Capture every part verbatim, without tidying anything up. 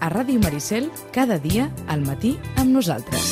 a Ràdio Maricel, cada dia al matí amb nosaltres.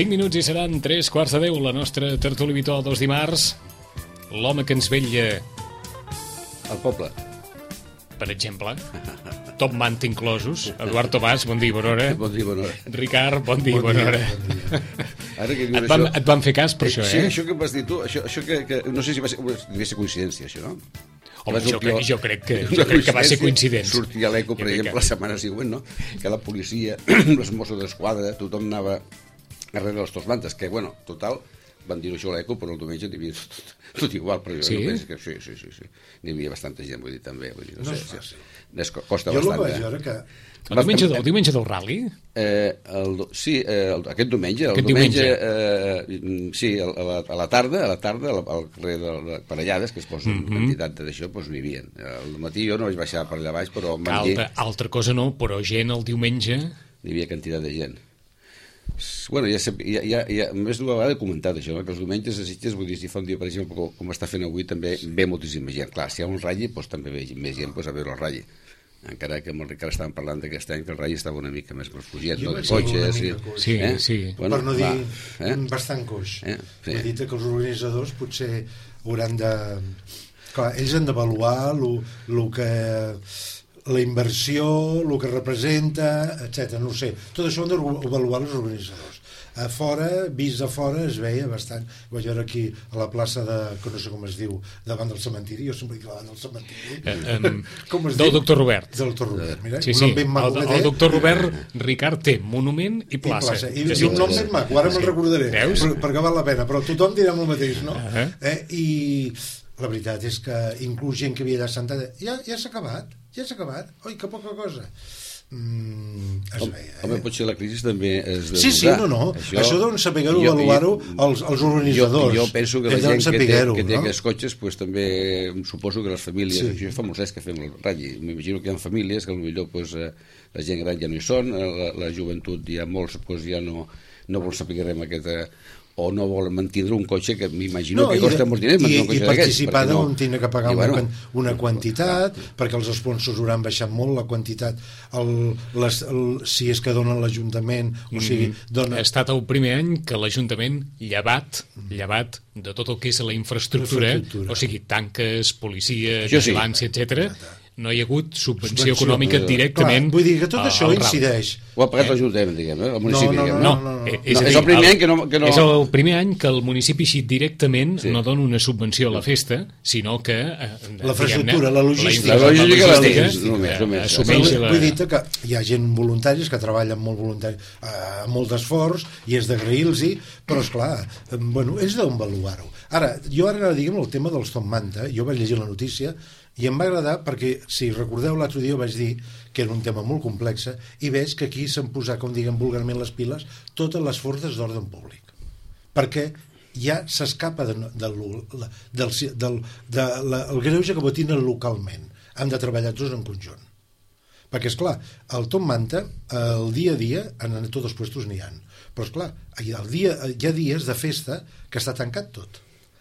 cinc minuts i seran tres quarts de deu, la nostra tertúlia habitual dels dimarts. L'home que ens vetlla al poble, per exemple, Top Manta inclosos. Eduard Tomàs, bon dia i bona hora. Bon dia i bona hora. Ricard, bon dia i bona hora. Ara que et, van, et van fer cas per això, eh? Sí, això que em vas dir tu, això, això que, que no sé si va ser, devia ser coincidència, això, no? Home, jo, crec, jo crec que, jo crec que va ser coincident. Sortia l'eco, per exemple, la setmana següent, no? Que la policia, els Mossos d'Esquadra, tothom anava darrere dels Top Mantes, que, bueno, total, van dir això a l'eco, però el diumenge n'hi havia tot, tot igual, però jo sí? no penso que sí, sí, sí, sí. N'hi havia bastanta gent, vull dir, també. Vull dir, no, no sé, és sí, costa jo bastant. Jo el vaig veure que... El diumenge, el diumenge del rally? Eh, el, sí, eh, el, aquest diumenge, el aquest diumenge, diumenge? Eh, sí, a la, a la tarda, a la tarda, al, al carrer de, de Parellades, que es posa mm -hmm. quantitat d'això, doncs n'hi havia. Al matí jo no vaig baixar per allà baix, però... Altra, altra cosa no, però gent el diumenge... N'hi havia quantitat de gent. Bueno, ja, ja, ja, ja més d'una vegada he comentat això, no? Que els diumenges a Sitges, vull dir, si fa un dia, per exemple, com, com està fent avui, també ve moltíssima gent. Clar, si hi ha un ratll, doncs també ve més gent doncs, a veure el ratll. Encara que amb el Ricard estàvem parlant d'aquest any que el ratll estava una mica més refugit, no? De cotxes... I... Sí, eh? sí. Bueno, per no dir eh? bastant coix. Eh? Sí. He dit que els organitzadors potser hauran de... Clar, ells han d'avaluar el que... la inversió, el que representa, etcètera. No ho sé. Tot això han d'avaluar els organitzadors. A fora, vist a fora, es veia bastant. Vaig veure aquí a la plaça de, que no sé com es diu, davant del cementiri, jo sempre dic davant del cementiri. Eh, um, com es del diu? doctor Robert. Del doctor Robert, mira. Sí, sí. El, el doctor Robert, Ricard, té monument i plaça. I, plaça. I, i un nom ben maco, ara me'l recordaré. Veus? Per, perquè val la pena, però tothom dirà el mateix, no? Uh -huh. eh? I la veritat és que inclús gent que havia allà sentada, ja, ja s'ha acabat, ja s'ha acabat. Oi, que poca cosa. Mm, es home, veia, eh? home, potser la crisi també és de sí, sí, no, no, això, això deuen saber-ho, avaluar-ho els, els organitzadors. Jo, jo penso que la gent que té, que té no? aquests cotxes pues, també suposo que les famílies, sí. Això fa molts anys que fem el ratll, m'imagino que hi ha famílies que potser pues, eh, la gent gran ja no hi són, la, la joventut ja molts pues, ja no, no vol saber res amb aquesta... o no vol mantindre un cotxe que m'imagino no, que costa molts diners i, i participar d'on no... tindre que pagar bueno, una, una quantitat clar, perquè els sponsors hauran baixat molt la quantitat el, les, el, si és que donen l'Ajuntament o sigui, dona... ha estat el primer any que l'Ajuntament llevat, llevat de tot el que és la infraestructura, infraestructura. O sigui, tanques, policia, vigilància, sí. etcètera, no hi ha hagut subvenció, subvenció econòmica directament. Clar, vull dir que tot això incideix. Ho ha pagat eh? l'Ajuntament, diguem, eh? El municipi. No, no, diguem. no, no, no, no. És, no, dir, és el primer el, any que no, que no... És el primer any que el municipi així directament sí. no dona una subvenció a la festa, sinó que... Eh, la infraestructura, la logística. La logística, la logística, la només, només. Assumeix la... Vull dir que hi ha gent voluntaris que treballen molt voluntari, amb molt d'esforç, i és d'agrair-los-hi, però, esclar, bueno, és d'on valuar-ho. Ara, jo ara, diguem, el tema dels Top Manta, jo vaig llegir la notícia, i em va agradar perquè, si recordeu, l'altre dia vaig dir que era un tema molt complex i veig que aquí s'han posat, com diguem vulgarment, les piles totes les forces d'ordre públic. Perquè ja s'escapa de, de, de, del, del de la, el greuge que botinen localment. Han de treballar tots en conjunt. Perquè, esclar, el Top Manta, el dia a dia, en tots els puestos n'hi ha. Però, esclar, el dia, hi ha dies de festa que està tancat tot.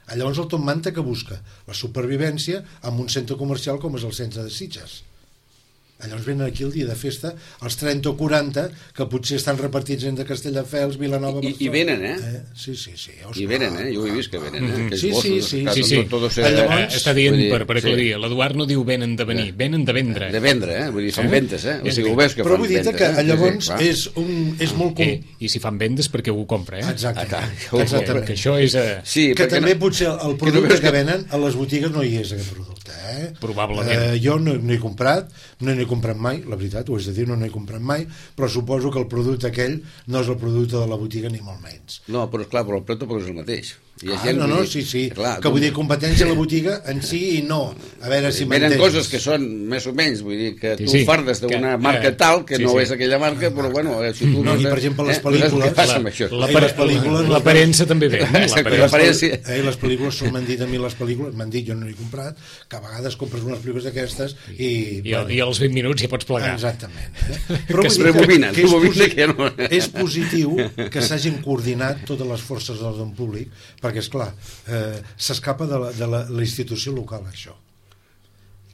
Llavors el Top Manta que busca la supervivència en un centre comercial com és el centre de Sitges. Llavors venen aquí el dia de festa els trenta o quaranta que potser estan repartits entre Castelldefels, Vilanova, Barcelona. I, i venen, eh? eh? Sí, sí, sí. I venen, eh? Jo ho he vist que venen, eh? Mm -hmm. Sí, sí, sí. sí, sí. Tot, tot llavors, està dient, dir, per, per aclarir, sí. L'Eduard no diu venen de venir, venen de vendre. De vendre, eh? Vull dir, fan ventes, eh? O sigui, ho veus que però fan vull dir ventes, que eh? llavors sí, sí, és, un, és molt... Com... Eh, I si fan vendes perquè ho compra, eh? Exactament. Ah, Exactament. Que això és... A... Sí, que també no... potser el producte que... que venen a les botigues no hi és aquest producte, eh? Probablement. Eh, jo no, no he comprat, no n'he comprat mai, la veritat, ho és de dir, no n'he comprat mai, però suposo que el producte aquell no és el producte de la botiga ni molt menys. No, però esclar, però el preu tampoc és el mateix. Hi ha ah, gent, no, no, dir, sí, sí, clar, que vull dir competència a la botiga en si i no. A veure si m'entens. Venen coses que són més o menys, vull dir, que sí, tu sí, fardes d'una que, marca eh, tal, que sí, no sí. és aquella marca, però bueno, si tu... No, i per exemple les pel·lícules... Eh, l'aparença també ve. L'aparença. Eh, les pel·lícules són, m'han dit a mi les pel·lícules, m'han dit, jo no n'he comprat, que a vegades compres unes pel·lícules d'aquestes i... I, bueno, i als vint minuts ja pots plegar. Exactament. Eh? Però que es rebobinen, que, és, que no. És positiu que s'hagin coordinat totes les forces de l'ordre públic, perquè, esclar, eh, s'escapa de, la, de la, la institució local, això.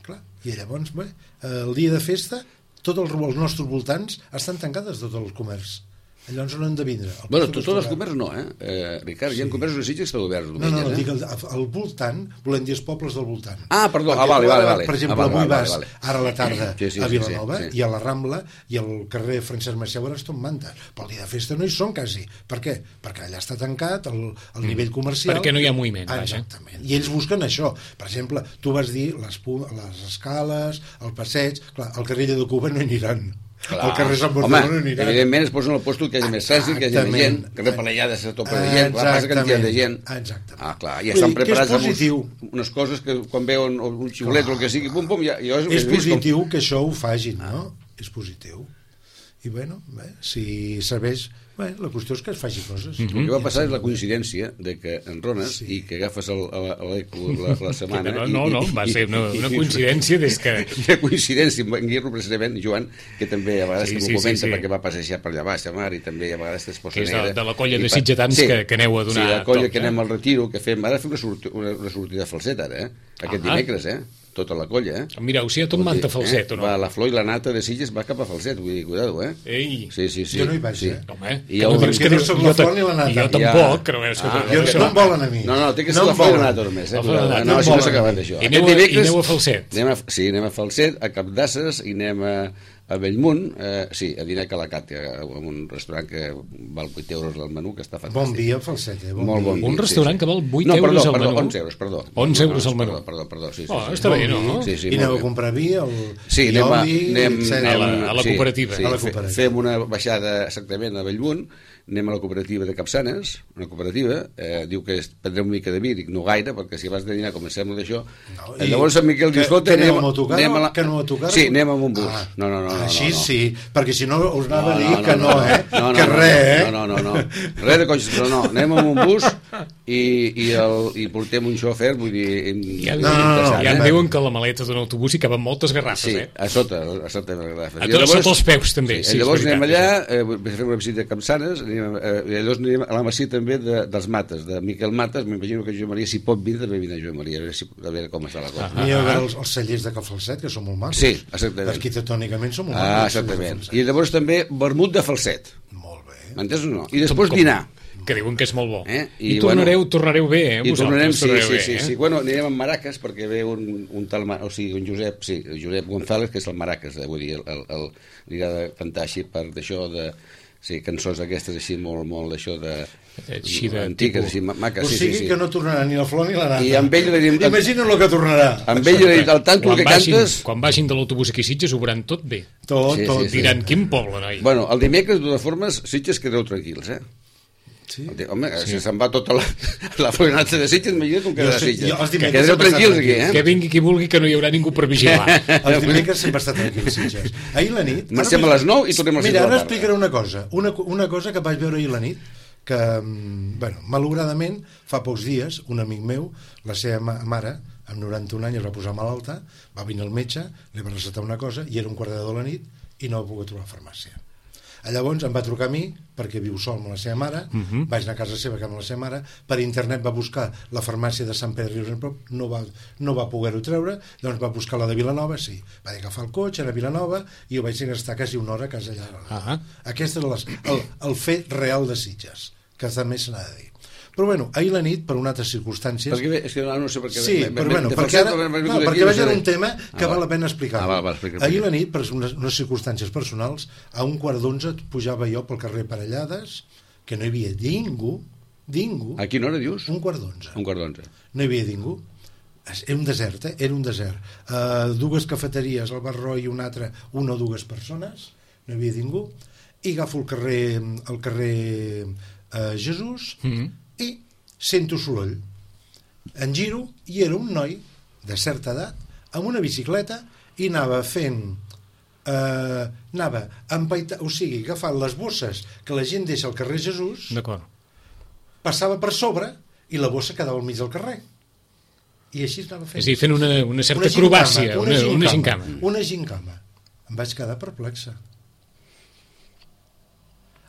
Clar, i llavors, bé, el dia de festa, tots els, els nostres voltants estan tancades tots els comerços. Llavors no han de vindre. Bueno, tots els comerços no, eh? eh Ricard, sí. Hi ha comerços de Sitges que estan oberts. No, no, no, eh? dic el, el voltant, volem dir els pobles del voltant. Ah, perdó, ah, vale, vale, vale. Per exemple, ah, vale, avui vale, vas vale. ara a la tarda sí, sí, a Vilanova sí, sí, sí. i a la Rambla i al carrer Francesc Macià veuràs Top Manta. Però el dia de festa no hi són quasi. Per què? Perquè allà està tancat el, el mm. nivell comercial. Perquè no hi ha moviment. Ah, exactament. I ells busquen això. Per exemple, tu vas dir les, les escales, el passeig... Clar, al carrer de Cuba no hi aniran. Clar. El carrer Sant Barcelona no anirà. Evidentment es posen al lloc que hi hagi més trànsit, que hi hagi més gent, carrer Palellada se topa de gent, clar, passa quantitat de gent. Exactament. Ah, clar, ja estan preparats amb uns, unes coses que quan veuen un xiulet o el que sigui, pum, pum, ja... ja és positiu com... que això ho fagin, ah. no? És positiu. I bueno, bé, si serveix... Bé, la qüestió és que es faci coses. Mm -hmm. El que va passar és la coincidència de que enrones sí. i que agafes l'eco la, la setmana... No, no, no, i, va ser una, una coincidència des que... Una coincidència amb en Guirro, precisament, Joan, que també a vegades sí, que m'ho sí, comenta sí, sí. perquè va passejar per allà baix a mar i també a vegades es posa negra. Que és de, de la colla de sitgetans sí. que, que aneu a donar... Sí, la colla toc, que anem al retiro, que fem... Ara fem una, sorti, una, una sortida falset, ara, eh? Aquest ah. dimecres, eh? Tota la colla, eh? Mireu, si hi ha tot Manta Falset, eh? o no? Va, la flor i la nata de Sitges va cap a Falset, vull dir, cuidado, eh? Ei! Sí, sí, sí. Jo no hi vaig, sí. eh? Home, I no dius que no soc la flor ni la nata. Jo tampoc, que no veus que... No em volen a mi. No, no, té que ser la flor i la nata només, eh? No, si no s'acabat d'això. I aneu a Falset. Sí, anem a Falset, a Cap d'Asses, i anem a... a Bellmunt, eh, sí, a dinar a Calacat, en un restaurant que val vuit euros al menú, que està fantàstic. Bon dia, Falset, eh? Bon Molt bon dia. Un restaurant sí, sí. que val vuit no, euros perdó, al perdó, menú? onze euros, perdó. onze euros al menú. Perdó, perdó, perdó, sí, sí. Oh, sí. està bé, no? Sí, sí, I aneu a comprar vi, el... Sí, anem a, anem, anem, a la, a la cooperativa. Sí, sí, a la cooperativa. Fem una baixada exactament a Bellmunt, anem a la cooperativa de Capçanes, una cooperativa, eh, diu que prendrem una mica de vi, dic no gaire, perquè si vas de dinar comencem d'això. No, llavors Sant Miquel diu, escolta, anem, anem a tocar, anem a la... que no a tocar? Sí, anem amb un bus. Ah, no, no, no, no, així no, no. sí, perquè si no us anava no, a dir no, no, que no, no, eh? No, no, que no, res, eh? No, no, no, no. Res de cotxes, però no. Anem amb un bus i, i, el, i portem un xofer, vull dir... Ja, no, no, no, ja em diuen que la maleta d'un autobús hi caben moltes garrafes, sí, eh? a sota, a sota de les garrafes. A tots, sota els peus, també. Sí, sí, llavors anem allà, eh, fem una visita a Capçanes, anem, eh, i llavors anem a la masia també de, dels Mates, de Miquel Mates, m'imagino que Joan Maria, si pot vindre, també vindrà Joan Maria, a veure, si, a veure com està la cosa. Ah, N'hi ha ah, els, els cellers de Cal Falset, que són molt macos. Sí, exactament. Arquitectònicament són molt ah, macos. Ah, exactament. I llavors també vermut de Falset. Molt bé. M'entens o no? I després com, dinar. Que diuen que és molt bo. Eh? I, I tornareu, bueno, tornareu bé, eh? I tornarem, sí, tornareu sí, bé, sí, eh? sí. Bueno, anirem amb Maracas, perquè ve un, un tal, o sigui, un Josep, sí, Josep González, que és el Maracas, eh? Vull dir, el, el, el, li agrada cantar així per d'això de... Sí, cançons aquestes així molt, molt d'això de... Així de... Antigues, així, maques, o sí, sigui sí, sí. que no tornarà ni la flor ni la nata. I amb ell li dirim... Imagina't el que tornarà. Amb ell li dirim, al tanto el que vagin, cantes... Quan vagin de l'autobús aquí a Sitges ho veuran tot bé. Tot, sí, tot. Sí, sí. Diran, quin poble, noi. Bueno, el dimecres, de totes formes, Sitges quedeu tranquils, eh? Sí. Home, sí. Si se'n va tota la, la florinata de Sitges, m'imagino com quedarà Sitges. Que quedareu tranquils aquí, eh? Que vingui qui vulgui, que no hi haurà ningú per vigilar. Els dimecres sempre està tranquil, Sitges. Ahir la nit... Marxem a les nou i tornem a les sis de la tarda. Mira, ara explicaré una cosa. Una, una cosa que vaig veure ahir la nit, que, bueno, malauradament, fa pocs dies, un amic meu, la seva mare, amb noranta-un anys, es va posar malalta, va venir al metge, li va recetar una cosa, i era un quart de deu de la nit, i no va poder trobar farmàcia. Llavors em va trucar a mi, perquè viu sol amb la seva mare, uh-huh. vaig anar a casa seva, que amb la seva mare, per internet va buscar la farmàcia de Sant Pere de Rius, no va, no va poder-ho treure, doncs va buscar la de Vilanova, sí, va agafar el cotxe, anar a Vilanova, i ho vaig estar quasi una hora a casa allà. Uh-huh. Aquest és les, el, el fet real de Sitges, que també se n'ha de dir. Però bueno, ahir la nit, per unes altres circumstàncies... Perquè, és que no sé per què... Sí, però bueno, perquè ara... No, perquè vaig a un tema que val la pena explicar. Ah, va, va, ahir la nit, per unes, unes circumstàncies personals, a un quart d'onze pujava jo pel carrer Parellades, que no hi havia ningú, ningú... A quina hora, dius? Un quart d'onze. Un quart d'onze. No hi havia ningú. Era un desert, eh? Era un desert. Uh, dues cafeteries, el Barró i una altra, una o dues persones, no hi havia ningú, i agafo el carrer, el carrer uh, Jesús... Mm-hmm. I sento soroll, en giro i era un noi de certa edat amb una bicicleta i anava fent eh, anava empaita, o sigui, agafant les bosses que la gent deixa al carrer Jesús, passava per sobre i la bossa quedava al mig del carrer i així anava fent. És a dir, fent una, una certa acrobàcia, una, una, una gincama. Una gincama. Em vaig quedar perplexa.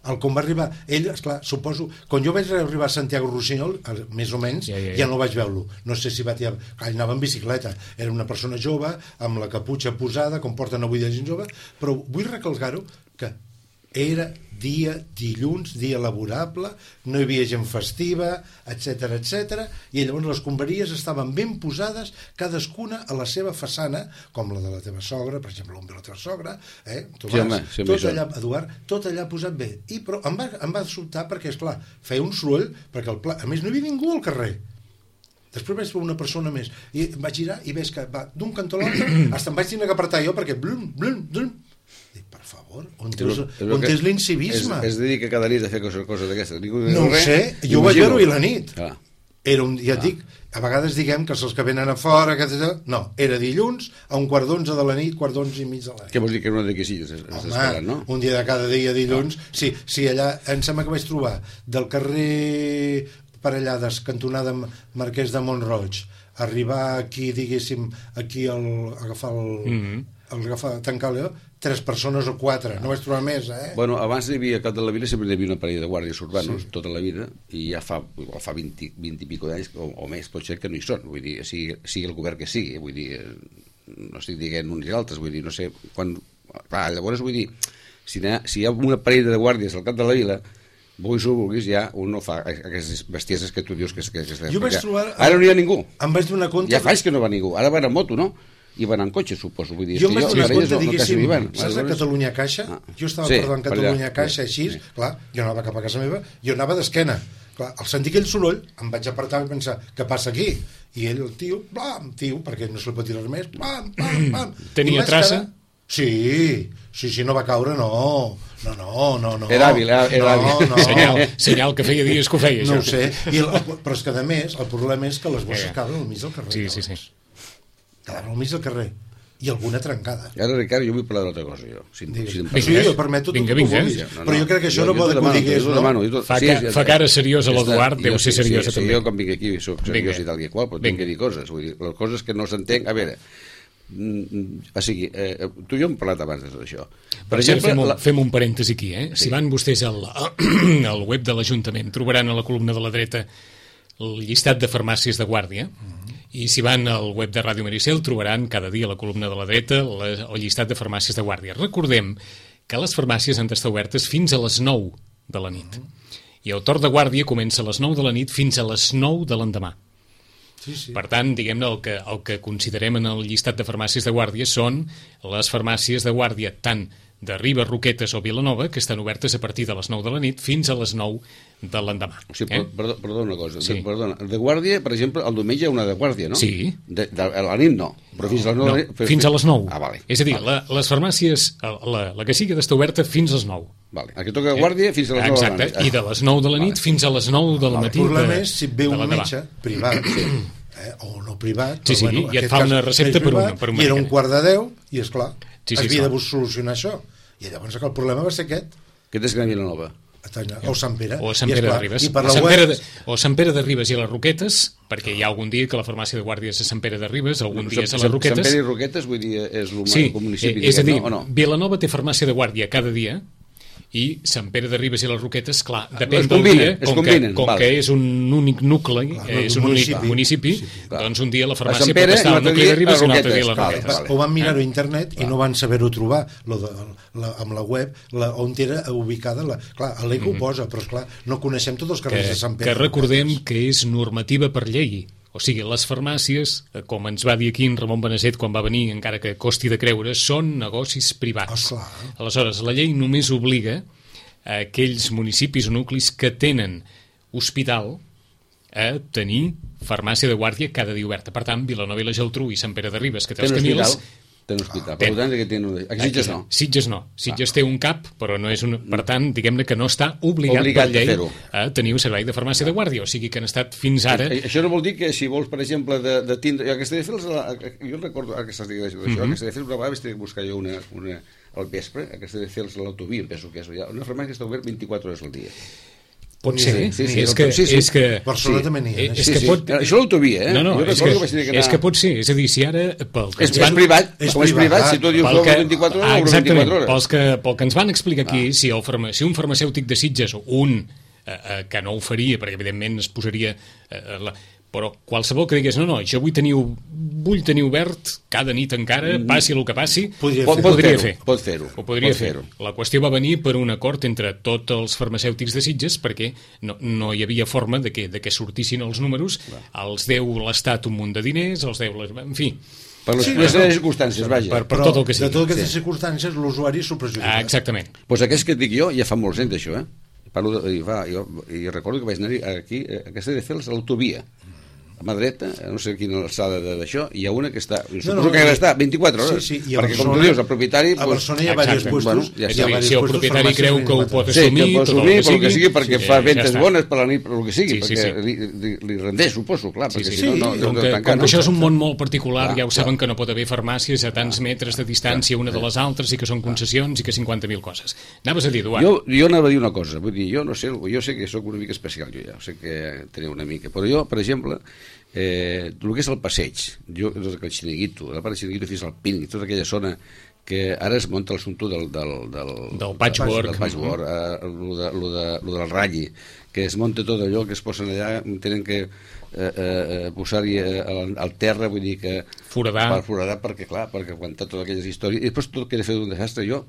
El com va arribar, ell, esclar, suposo, quan jo vaig arribar a Santiago Rossinyol, més o menys, ja, ja, ja. ja no vaig veure-lo. No sé si va tirar... Anava en bicicleta. Era una persona jove, amb la caputxa posada, com porten avui de gent jove, però vull recalcar-ho que era dia dilluns, dia laborable, no hi havia gent festiva, etcètera, etcètera, i llavors les escombraries estaven ben posades, cadascuna a la seva façana, com la de la teva sogra, per exemple, on ve la teva sogra, eh? Tomàs, sí, home, sí, tot allà, Eduard, tot allà posat bé. I, però em va, em va sobtar perquè, esclar, feia un soroll, perquè el pla... a més no hi havia ningú al carrer. Després vaig veure una persona més, i vaig girar i veig que va d'un cantó a l'altre, fins em vaig tenir que apretar jo, perquè blum, blum, blum. Dic, per favor, on tens, on tens l'incivisme? Es, es dedica cada nit a fer coses, coses d'aquestes. No ho sé, jo ho vaig veure i la nit. Ah. Era un, ja et dic, a vegades diguem que els que venen a fora, que... no, era dilluns a un quart d'onze de la nit, quart d'onze i mig de la nit. Què vols dir, que era una de Quisilles? Home, no? Un dia de cada dia dilluns, ah. sí, sí, allà, em sembla que vaig trobar del carrer Parellades, cantonada Marquès de Montroig, arribar aquí, diguéssim, aquí al, agafar el... Mm-hmm. el agafar, tancar el tres persones o quatre, no vaig trobar més, eh? Bueno, abans hi havia, a Cap de la Vila sempre hi havia una parella de guàrdies urbanos, sí. tota la vida, i ja fa, fa vint, vint i pico d'anys, o, o més, pot ser que no hi són, vull dir, sigui, sigui el govern que sigui, vull dir, no estic dient uns i altres, vull dir, no sé, quan... Clar, llavors, vull dir, si hi ha, si hi ha una parella de guàrdies al Cap de la Vila, vulguis o vulguis, ja un no fa aquestes bestieses que tu dius que... que, que jo vaig trobar... Ara no hi ha ningú. Em vaig donar compte... Ja fa que no va ningú, ara van a moto, no? I van en cotxe, suposo. Vull dir, jo em vaig donar compte, no, diguéssim, no saps a Catalunya Caixa? Ah. Jo estava sí, parlant Catalunya Caixa, així, sí. Clar, jo anava cap a casa meva, jo anava d'esquena. Clar, al sentir aquell soroll, em vaig apartar i pensar, què passa aquí? I ell, el tio, blam, tio, perquè no se li pot tirar més, blam, blam, blam. Tenia traça? Quedar... Sí, sí, sí, no va caure, no. No, no, no, no. Era hàbil, era hàbil. No, no. Senyal, senyal que feia dies que ho feia, no això. No ho sé, I el, però és que, a més, el problema és que les bosses caben al mig del carrer. Sí, sí, sí. Caben al mig del carrer. I alguna trencada. I ara, Ricard, jo vull parlar d'altra cosa, jo. Si, si vinga, sí, jo permeto tot vinga, el que vinga, vulguis. No, no, però jo crec que això jo, no pot que ho digués, no? Demano, tot, fa, sí, ca, ja, fa cara seriosa l'Eduard, deu ser seriosa sí, també. Sí, jo quan vinc aquí soc seriós i tal i qual, però tinc que dir coses. Vull dir, les coses que no s'entenc... A veure, o sigui, eh, tu i jo hem parlat abans de tot això. Per, per exemple, fem un, la... fem un parèntesi aquí, eh? Sí. Si van vostès al, al web de l'Ajuntament, trobaran a la columna de la dreta el llistat de farmàcies de guàrdia, uh-huh. i si van al web de Ràdio Maricel trobaran cada dia a la columna de la dreta la, el llistat de farmàcies de guàrdia. Recordem que les farmàcies han d'estar obertes fins a les nou de la nit. Uh-huh. I el torn de guàrdia comença a les nou de la nit fins a les nou de l'endemà. Sí, sí. Per tant, diguem-ne, el que, el que considerem en el llistat de farmàcies de guàrdia són les farmàcies de guàrdia tant de Ribes, Roquetes o Vilanova, que estan obertes a partir de les nou de la nit fins a les nou de l'endemà. O sigui, eh? perdó, perdó una cosa. Sí. De, perdona, de guàrdia, per exemple, el diumenge hi ha una de guàrdia, no? Sí. De, de, a la nit no, però fins a les nou... No, no, fins a les nou. Ah, vale. És a dir, vale. la, les farmàcies, la, la que sigui ha d'estar oberta fins a les nou. Vale. El que toca de guàrdia fins a les nou de la nit. Exacte, i de les nou de la nit vale. Fins a les nou del matí. El problema és si ve un metge privat, eh, o no privat, sí, sí, bueno, i et fa una recepta per, privat, un, per un i era un quart de deu, i esclar, sí, sí, havia de solucionar això. I llavors el problema va ser aquest. Què tens que anar a Vilanova? o Sant Pere. O Sant Pere de Ribes. I per o, la Sant web... Pere de, o Sant Pere de Ribes i les Roquetes, perquè hi ha algun dia que la farmàcia de guàrdia és a Sant Pere de Ribes, algun dia és a les Roquetes. Sant Pere i Roquetes, vull dir, és el sí, municipi. És a dir, no, no? Vilanova té farmàcia de guàrdia cada dia, i Sant Pere de Ribes i les Roquetes, clar, depèn del dia, com, combinen, que, com val. que és un únic nucli, clar, és un municipi, únic municipi, sí, doncs un dia la farmàcia Sant Pere, pot estar al nucli de Ribes i un altre dia a les vale, Roquetes. vale. Ho van mirar a internet i no van saber-ho trobar lo de, la, amb la web la, on era ubicada la, clar, a l'E C O ho posa, però esclar, no coneixem tots els carrers Que, de Sant Pere. que recordem que és normativa per llei. O sigui, les farmàcies, com ens va dir aquí en Ramon Benasset quan va venir, encara que costi de creure, són negocis privats. Oh, clar. Aleshores, la llei només obliga a aquells municipis o nuclis que tenen hospital a tenir farmàcia de guàrdia cada dia oberta. Per tant, Vilanova i la Geltrú i Sant Pere de Ribes, que té els Tenen Camils... hospital? Tenen hospital. Per tant, que tenen... Aquí Sitges no. Sitges no. Sitges té un cap, però no és un... Per tant, diguem-ne que no està obligat, Obligat per llei a fer-ho. a tenir un servei de farmàcia de guàrdia. O sigui que han estat fins ara... I, això no vol dir que si vols, per exemple, de, de tindre... Jo, aquesta de fer, jo recordo, ara que estàs dient d'això, mm -hmm. aquesta de fer, una vegada vaig tenir que buscar jo una, una, al vespre, aquesta de fer l'autovia, em penso que és ja, una farmàcia que està obert vint-i-quatre hores al dia. Pot ser, sí, sí, és, sí, que, sí, sí. és que... Barcelona sí. també n'hi ha. És Sí, que sí. pot... Això l'autovia, eh? No, no, jo és recordo que, que vaig tenir que anar... és que pot ser, és a dir, si ara... Pel que És, ens van... és privat, és com és privat, privat, si tu dius pel que... vint-i-quatre hores, ah, obre exactament, vint-i-quatre hores. pels que, pel que ens van explicar aquí, ah. si, el farma, si un farmacèutic de Sitges, un eh, eh, que no ho faria, perquè evidentment es posaria... Eh, la, però qualsevol que digués, no, no, jo vull tenir, vull tenir obert cada nit encara, passi el que passi, Podria Pot, fer. pot podria fer-ho, fer. pot fer-ho. Ho podria pot fer. fer-ho. La qüestió va venir per un acord entre tots els farmacèutics de Sitges perquè no, no hi havia forma de que, de que sortissin els números, Clar. els deu l'Estat un munt de diners, els deu... Les, en fi... Per les, Sí, les no, no. circumstàncies, vaja. Per, per Però tot el que sigui. de totes aquestes sí. circumstàncies l'usuari s'ho perjudica. Ah, exactament. Pues aquest que et dic jo, ja fa molts anys d'això, eh? Parlo de, i, va, jo, i recordo que vaig anar aquí, eh, aquesta de fer l'autovia, a mà dreta, no sé quina alçada d'això, hi ha una que està, suposo no, que ha d'estar vint-i-quatre hores, sí, sí, i a perquè Barcelona, com tu dius, el propietari... A Barcelona hi ha diversos Exacte. puestos, Bueno, ja hi És ha a dir, diversos si el puestos propietari farmàcies creu que ho vint-i-quatre. pot Sí, que assumir, pot tot el assumir, que pel que sigui, sigui, perquè sí, fa ja ventes està. bones per la nit, pel que sigui, Sí, sí, perquè sí. li, li, li rendeix, suposo, clar, Sí, perquè sí, si sí. no, no, com no que, tancar, com no? que això és un món molt particular, Clar, ja ho clar. saben que no pot haver farmàcies a tants metres de distància una de les altres i que són concessions i que cinquanta mil coses. Anaves a dir, Eduard? Jo, jo anava a dir una cosa, vull dir, jo no sé, jo sé que sóc una mica especial, jo ja, sé que teniu una mica, però jo, per exemple, eh, el que és el passeig, jo, tot aquell xiringuito, la part del xiringuito fins al Pínic, tota aquella zona que ara es munta l'assumpte del, del, del, Del patchwork. del patchwork, eh, lo, de, lo, de, lo del ratlli, que es munta tot allò, que es posen allà, tenen que eh, eh, posar-hi eh, al, al terra, vull dir que... Foradar. Per foradar, perquè clar, perquè aguantar totes aquelles històries, i després tot queda fet un desastre. Jo,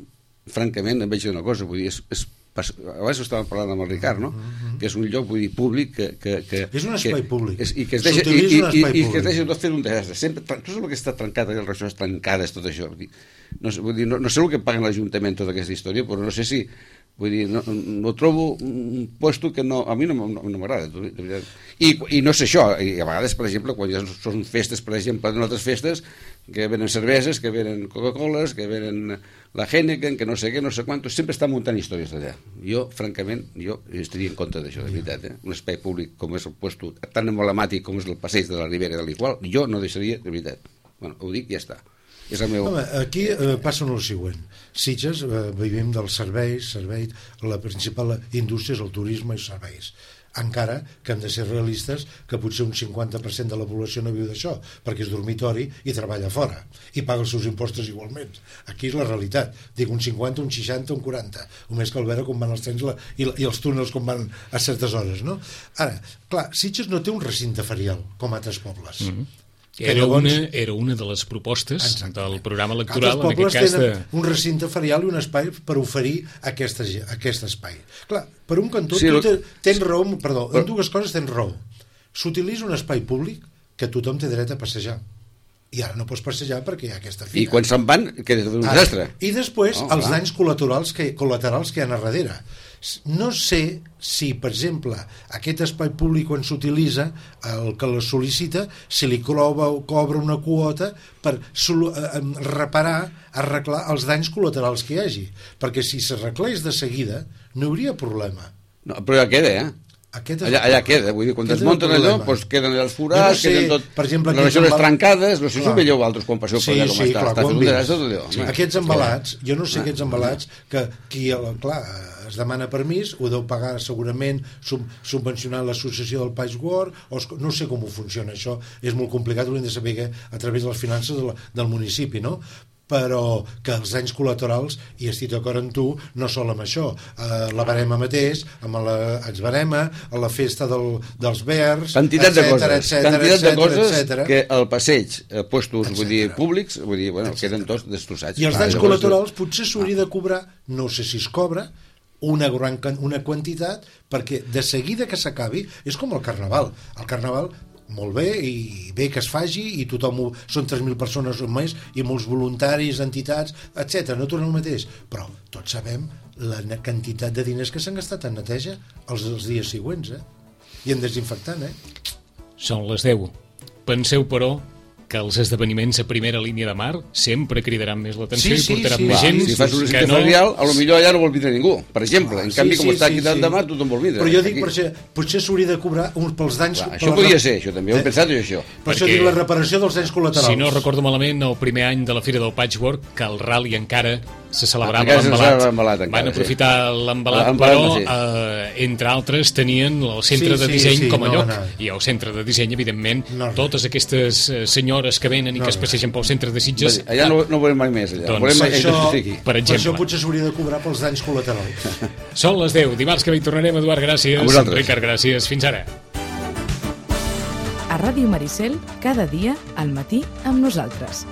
francament, em veig una cosa, vull dir, és, és abans estàvem parlant amb el Ricard, no? Mm-hmm. Que és un lloc, vull dir, públic que... que, que És un espai que, públic. És, I que es deixa, i, S'utilitza i, un i, espai i que es públic. deixa tot fer un desastre. Sempre, tot el que està trencat, les relacions trencades, tot això. Vull dir, no, sé, vull dir, no, no sé el que paguen l'Ajuntament tota aquesta història, però no sé si... Vull dir, no, no trobo un puesto que no, a mi no, no, no m'agrada. I, I no sé això, i a vegades, per exemple, quan ja són festes, per exemple, en altres festes, que venen cerveses, que venen Coca-Coles, que venen la Heineken, que no sé què, no sé quantos, sempre estan muntant històries d'allà. Jo, francament, jo estaria en contra d'això, de veritat, eh? Un espai públic com és el puesto tan emblemàtic com és el passeig de la Ribera de l'Igual, jo no deixaria, de veritat. Bueno, ho dic i ja està. És el meu... Home, aquí eh, passa el següent. Sitges, eh, vivim dels serveis, serveis, la principal indústria és el turisme i serveis. Encara que hem de ser realistes que potser un cinquanta per cent de la població no viu d'això, perquè és dormitori i treballa fora, i paga els seus impostos igualment. Aquí és la realitat. Dic un cinquanta, un seixanta, un quaranta. Només cal veure com van els trens la, i, i els túnels com van a certes hores, no? Ara, clar, Sitges no té un recinte ferial, com altres pobles. Mm-hmm. Era, llavors, una, era una de les propostes exactament. del programa electoral, en aquest cas de... un recinte ferial i un espai per oferir aquesta, aquest espai. Clar, per un cantó, Sí, tu lo... tens raó, perdó, en dues coses tens raó. S'utilitza un espai públic que tothom té dret a passejar. I ara no pots passejar perquè hi ha aquesta fira. I quan se'n van, queda tot un Ara, desastre. I després, Oh, els clar. danys col·laterals que, col·laterals que hi ha a darrere. No sé si, per exemple, aquest espai públic quan s'utilitza, el que la sol·licita, si li cobra, cobra una quota per sol, eh, reparar, arreglar els danys col·laterals que hi hagi. Perquè si s'arreglés de seguida, no hi hauria problema. No, però ja queda, eh? Aquest és allà, allà queda, vull dir, quan Aquest és desmunten el allò, problema. doncs queden allà els Jo no forats, sé, queden tot, per exemple, les aquests rajoles embal- trencades, no sé si Clar. ho veieu altres quan passeu per Sí, allà com sí, està, clar, està ho fet hem un vist. desastre tot allò. Sí. home. Aquests embalats, jo no sé Ah. aquests embalats que qui, clar, es demana permís, ho deu pagar segurament sub, subvencionant l'associació del País World, o es, no sé com ho funciona això, és molt complicat, ho hem de saber a través de les finances de la, del municipi, no? Però que els danys col·laterals, i estic d'acord amb tu, no sol amb això. Eh, la barema mateix, amb la exbarema, a la festa del, dels verds, Quantitat de coses, etcètera, quantitat de etcètera, coses etcètera. que al passeig, eh, puestos, vull dir, Etcètera. públics, vull dir, bueno, Etcètera. queden tots destrossats. I els Ah, danys llavors, col·laterals potser s'hauria de cobrar, no sé si es cobra, una gran can- una quantitat, perquè de seguida que s'acabi, és com el Carnaval. El Carnaval, molt bé, i bé que es faci, i tothom ho, són tres mil persones o més, i molts voluntaris, entitats, etcètera. No torna el mateix, però tots sabem la ne- quantitat de diners que s'han gastat en neteja els, els dies següents, eh? I en desinfectant, eh? Són les deu. Penseu, però, que els esdeveniments a primera línia de mar sempre cridaran més l'atenció Sí, sí, i portaran sí, més va, gent si fas una que cita no... ferial, a lo millor allà no vol vindre ningú, per exemple. En Sí, canvi, com sí, està sí, aquí dalt sí. de mar, tothom vol vindre. Però jo dic, Aquí. per això, potser s'hauria de cobrar uns pels danys... Clar, per això la- podria ser, això també ho he Eh? pensat, jo, això. Per això Perquè- dic la reparació dels danys col·laterals. Si no recordo malament, el primer any de la Fira del Patchwork, que el rally encara se celebrava Encara se l'embalat. celebrava l'embalat, encara, Van sí. aprofitar l'embalat, L'embalat, però, sí. eh, entre altres, tenien el centre Sí, de sí, disseny sí, com a no lloc. va anar. I el centre de disseny, evidentment, No va anar. totes aquestes eh, senyores que venen i No que es va anar. passegen pel centre de Sitges... Allà no, no veurem mai més, allà. Doncs Volem Per mai això, que sigui. per per això exemple. potser s'hauria de cobrar pels danys col·laterals. Són les deu. Dimarts que ve hi tornarem, Eduard, gràcies. A vosaltres. Ricard, gràcies. Fins ara. A Ràdio Maricel, cada dia, al matí, amb nosaltres.